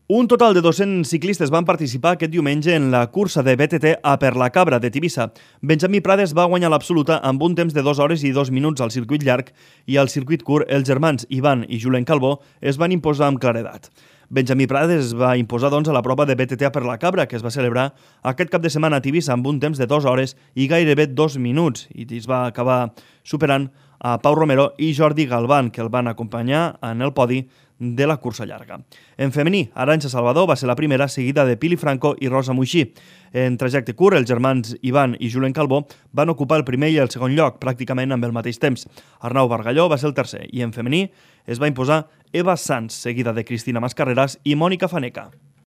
Un total de 200 ciclistes van participar aquest diumenge en la cursa de BTT a Per la Cabra de Tivissa. Benjamí Prades va guanyar l'absoluta amb un temps de 2 hores i 2 minuts al circuit llarg i al circuit curt els germans Ivan i Julen Calbó es van imposar amb claredat. Benjamí Prades es va imposar a la prova de BTT a Per la Cabra, que es va celebrar aquest cap de setmana a Tivissa amb un temps de 2 hores i gairebé 2 minuts, i es va acabar superant a Pau Romero i Jordi Galván, que el van acompanyar en el podi de la cursa llarga. En femení, Arantxa Salvador va ser la primera, seguida de Pili Franco i Rosa Muixí. En trajecte curt, els germans Ivan i Julen Calbó van ocupar el primer i el segon lloc, pràcticament amb el mateix temps. Arnau Bargalló va ser el tercer i en femení es va imposar Eva Sanz, seguida de Cristina Mascarreras i Mònica Faneca.